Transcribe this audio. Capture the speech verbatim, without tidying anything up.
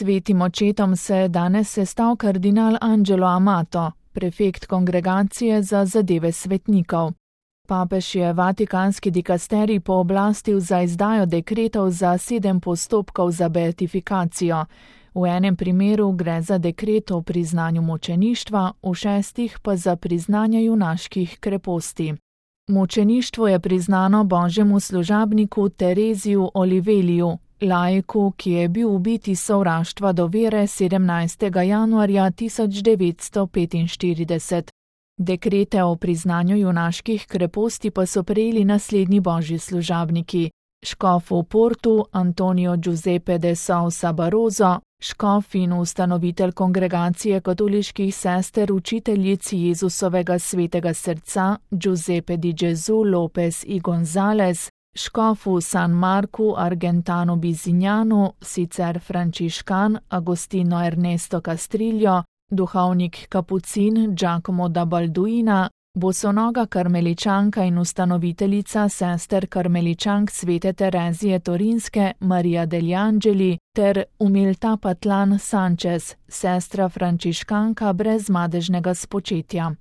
Svetim očetom se je danes sestal kardinal Angelo Amato, prefekt Kongregacije za zadeve svetnikov. Papež je vatikanski dikasterij pooblastil za izdajo dekretov za sedem postopkov za beatifikacijo. V enem primeru gre za dekret o priznanju mučeništva, v šestih pa za priznanje junaških kreposti. Mučeništvo je priznano božjemu služabniku Tereziju Oliveliju, laiku, ki je bil ubit iz sovraštva do vere sedemnajstega januarja tisoč devetsto petinštirideset. Dekrete o priznanju junaških kreposti pa so prejeli naslednji božji služabniki: škof v Portu Antonio Giuseppe de Sousa Barroso, škof in ustanovitelj Kongregacije katoliških sester učiteljic Jezusovega svetega srca Giuseppe di Gesù Lopez y González, škof v San Marku Argentano Bizignanu, sicer frančiškan Agostino Ernesto Castrillo, duhovnik kapucin Giacomo da Balduina, bosonoga karmeličanka in ustanoviteljica sester karmeličank svete Terezije Torinske Maria degli Angeli ter Umilta Patlan Sanchez, sestra frančiškanka brez madežnega spočetja.